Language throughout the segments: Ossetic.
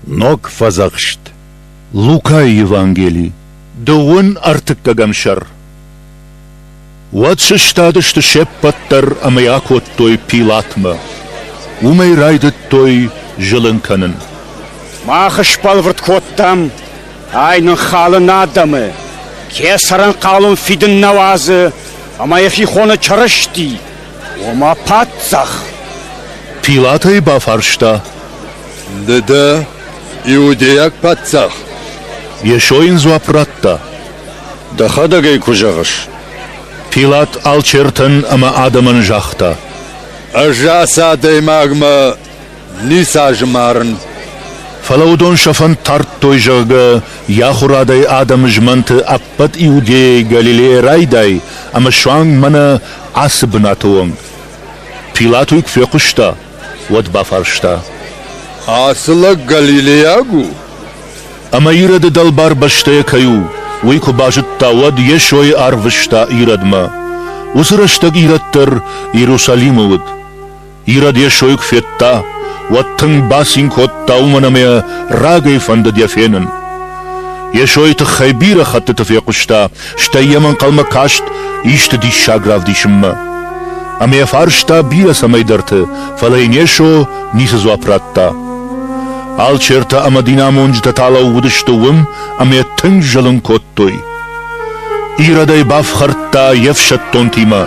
Ног фӕдзӕхст. Лукайы Евангели, дыууын ӕртыккӕгӕм сӕр. Уӕд сыстадысты се ппӕт дӕр ӕмӕ йӕ акодтой Пилатмӕ. Уым ӕй райдыдтой зылын кӕнын. Мах сбӕлвырд кодтам, ай нын халын адӕмы, кесӕрӕн хъалон фидын нӕ уадзы ӕмӕ йӕхи хоны Чырысти, ома паддзах. Пилат ӕй бафарста: Ды дӕ иудейаг паддзах? Йесо йын дзуапп радта: Дӕхӕдӕг ӕй куы зӕгъыс. Пилат алчертӕн ӕмӕ адӕмӕн загъта: Ӕз ацы адӕймагмӕ ницы азым арын. Фӕлӕ уыдон сӕ фӕнд тардтой, зӕгъгӕ, йӕ ахуырадӕй адӕмы змӕнты ӕппӕт Иудейӕйы Галилейӕ райдай ӕмӕ суанг мӕнӕ ацы бынаты онг. Пилат уый куы фехъуыста, уӕд бафарста: Ацы лӕг галилейаг у? Ӕмӕ Ироды дӕлбар бӕстӕйӕ кӕй у, уый куы базыдта, уӕд Йесойы арвыста Иродмӕ. Уыцы рӕстӕг Ирод дӕр Иерусалимы уыд. Ирод Йесойы куы федта, уӕд тынг бацин кодта, уымӕн ӕмӕ йӕ рагӕй фӕндыд йӕ фенын. Йесойы тыххӕй бирӕ хӕттыты фехъуыста, стӕй йӕм ӕнхъӕлмӕ каст исты диссаг равдисынмӕ. Ӕмӕ йӕ фарста бирӕ цӕмӕйдӕрты, фӕлӕ йын Йесо ницы дзуапп радта. Алчертӕ ӕмӕ динамонджытӕ та лӕууыдысты уым ӕмӕ йӕ тынг зылын кодтой. Ирод ӕй бафхӕрдта йе фсӕддонтимӕ,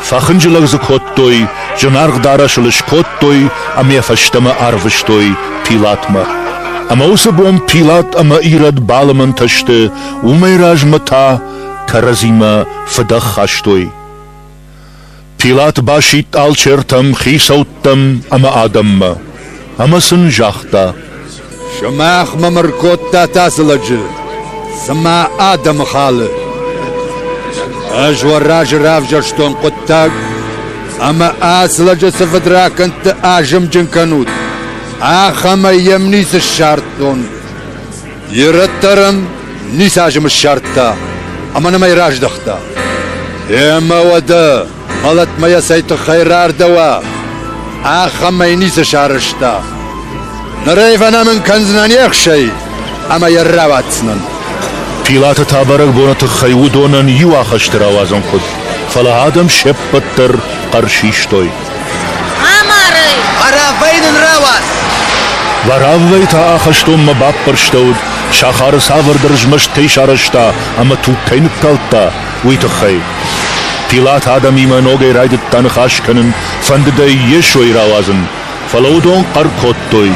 фӕхынджылӕг дзы кодтой, зынаргъ дарӕс ыл скодтой ӕмӕ йӕ фӕстӕмӕ арвыстой Пилатмӕ. Ӕмӕ уыцы бон Пилат ӕмӕ Ирод балымӕнтӕ сты, уымӕй размӕ та кӕрӕдзимӕ фыдӕх хастой. Пилат басидт алчертӕм, хицӕуттӕм ӕмӕ адӕммӕ ӕмӕ сын загъта: Сымах мӕм ӕркодтат ацы лӕджы, цыма адӕмы халы. Ӕз уӕ разы равзӕрстон хъуыддаг, ӕмӕ ацы лӕджы цы фыдракӕндты азымджын кӕнут, ахӕмӕй йӕм ницы ссардтон. Ирод дӕр ӕм ницы азым ссардта ӕмӕ нӕм ӕй раздӕхта. Ӕмӕ уӕдӕ мӕлӕтмӕ йӕ цӕй тыххӕй рардӕуа, ахӕмӕй ницы сарӕзта. Ныр ӕй фӕнӕмын кӕндзынӕн ехсӕй ӕмӕ йӕ рауадздзынӕн. Пилаты та бӕрӕгбоны тыххӕй уыдонӕн иу ахӕсты рауадзын хъуыд, фӕлӕ адӕм се ппӕт дӕр хъӕр систой. Амарӕй! Вараввӕй нын рауадз! Вараввӕй та ахӕстонмӕ баппӕрстӕуыд, сахары цавӕрдӕр змӕст кӕй сарӕзта ӕмӕ туг кӕй ныккалдта, уый тыххӕй. Пилат адӕмимӕ ногӕй райдыдта ныхас кӕнын, фӕндыд ӕй Йесойы рауадзын, фӕлӕ уыдон хъӕр кодтой: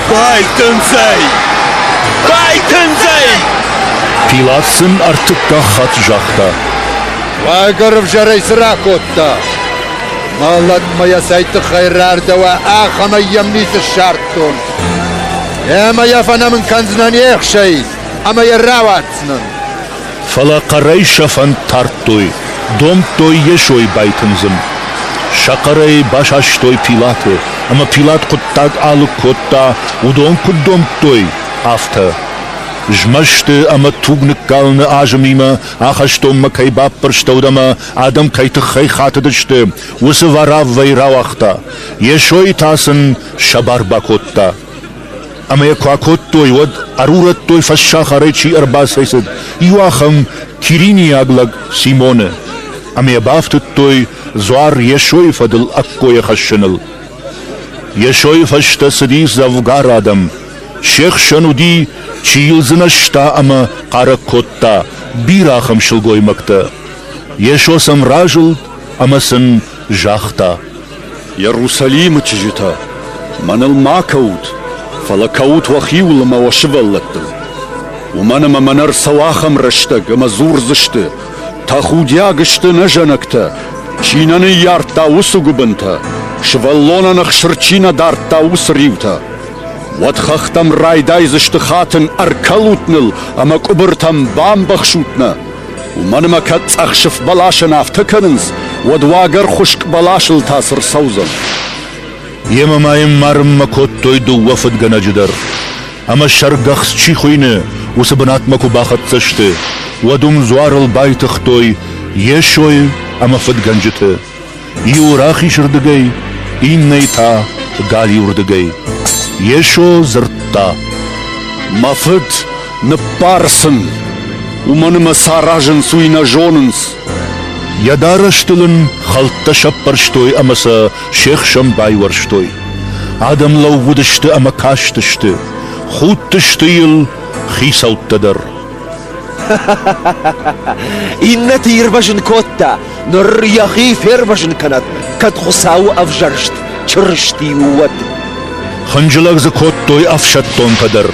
Байтындзӕй! Байтындзӕй! Пилат сын ӕртыккаг хатт загъта: Уагӕр ӕвзӕрӕй цы ракодта? Мӕлӕтмӕ йӕ цӕй тыххӕй рардӕуа, ахӕмӕй йӕм ницы ссардтон. Ӕмӕ йӕ фӕнӕмын кӕндзынӕн ехсӕй ӕмӕ йӕ рауадздзынӕн. Фӕлӕ хъӕрӕй сӕ фӕнд тардтой, домдтой Йесойы байтындзын. Сӕ хъӕрӕй басастой Пилаты, ӕмӕ Пилат хъуыддаг алыг кодта, уыдон куыд домдтой, афтӕ. Змӕсты ӕмӕ туг ныккалыны азымимӕ ахӕстонмӕ кӕй баппӕрстӕуыд ӕмӕ адӕм кӕй тыххӕй хатыдысты, уыцы Вараввӕйы рауагъта, Йесойы та сын сӕ бар бакодта. Ӕмӕ йӕ куы акодтой, уӕд ӕрурӕдтой фӕссахарӕй чи ӕрбацӕйцыд, иу ахӕм киринийаг лӕг Симоны, ӕмӕ йӕ бафтыдтой дзуар Йесойы фӕдыл ӕккойӕ хӕссыныл. Йесойы фӕстӕ цыди дзӕвгар адӕм. Се хсӕн уыди, чи йыл дзынӕзта ӕмӕ хъарӕг кодта, бирӕ ахӕм сылгоймӕгтӕ. Йесо сӕм разылд ӕмӕ сын загъта: Иерусалимы чызджытӕ, мӕныл ма кӕут, фӕлӕ кӕут уӕхиуыл ӕмӕ уӕ сывӕллӕттыл. Уымӕн ӕмӕ мӕнӕ ӕрцӕуы ахӕм рӕстӕг, ӕмӕ дзурдзысты: Тӕхудиаг сты нӕ зӕнӕгтӕ, чи нӕ ныййардта, уыцы гуыбынтӕ, сывӕллонӕн ӕхсыр чи нӕ дардта, уыцы риутӕ. Уӕд хӕхтӕм райдайдзысты хатын, ӕркӕлут ныл ӕмӕ къуыбыртӕм бамбӕхсут нӕ. Уымӕн ӕмӕ кӕд цъӕхсыф бӕласӕн афтӕ кӕнынц, уӕд уагӕр хуыскъ бӕласыл та цы рцӕудзӕн? Йемӕ ма йын марынмӕ кодтой дыууӕ фыдгӕнӕджы дӕр. Ӕмӕ сӕргӕхц чи хуыйны, уыцы бынатмӕ куы бахӕццӕ сты, уӕд уым дзуарыл байтыгътой Йесойы ӕмӕ фыдгӕнджыты. Иуы рахизырдыгӕй, иннӕйы та галиуырдыгӕй. Йесо дзырдта. Сдзырдта: Мӕ Фыд, ныббар сын, уымӕн ӕмӕ цы аразынц, уый нӕ зонынц. Йӕ дарӕстыл ын хӕлттӕ сӕппӕрстой ӕмӕ сӕ се хсӕн байуӕрстой. Адӕм лӕууыдысты ӕмӕ кастысты, худтысты йыл хицӕуттӕ дӕр. Иннӕты ирвӕзын кодта, ныр йӕхи фервӕзын кӕнӕд, кӕд Хуыцауы ӕвзӕрст Чырысти у, уӕд. Хынджылӕг дзы кодтой ӕфсӕддонтӕ дӕр.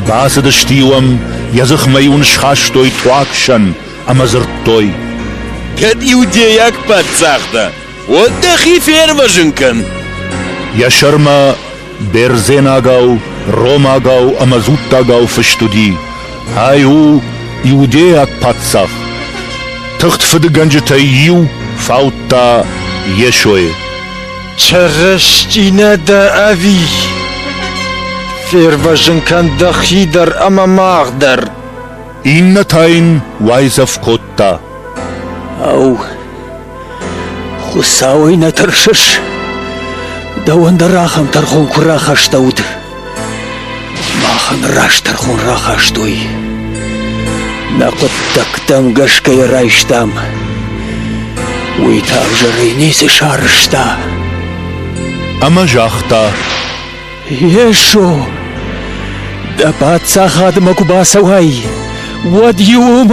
Бацыдысты-иу ӕм, йӕ дзыхмӕ-иу ын схастой туаг сӕн ӕмӕ дзырдтой: Кӕд иудейаг паддзах дӕ, уӕд дӕхи фервӕзын кӕн. Йӕ сӕрмӕ бердзенагау, ромагау ӕмӕ дзуттагау фыст уыди: Ай у иудейаг паддзах. Тыхт фыдгӕнджытӕй иу фаудта Йесойы. Чырысти нӕ дӕ ӕви? Фервӕзын кӕн дӕхи дӕр ӕмӕ мах дӕр. Иннӕ та йын уайдзӕф кодта. Ау, Хуыцауӕй нӕ тӕрсыс? Дӕуӕн дӕр ахӕм тӕрхон куы рахастӕуыд. Махӕн раст тӕрхон рахастой. Нӕ хъуыддӕгтӕм гӕсгӕ йӕ райстам. Уый та ӕвзӕрӕй ницы сарӕзта. Ӕмӕ загъта: Йесо, дӕ паддзахадмӕ куы бацӕуай, уӕд-иу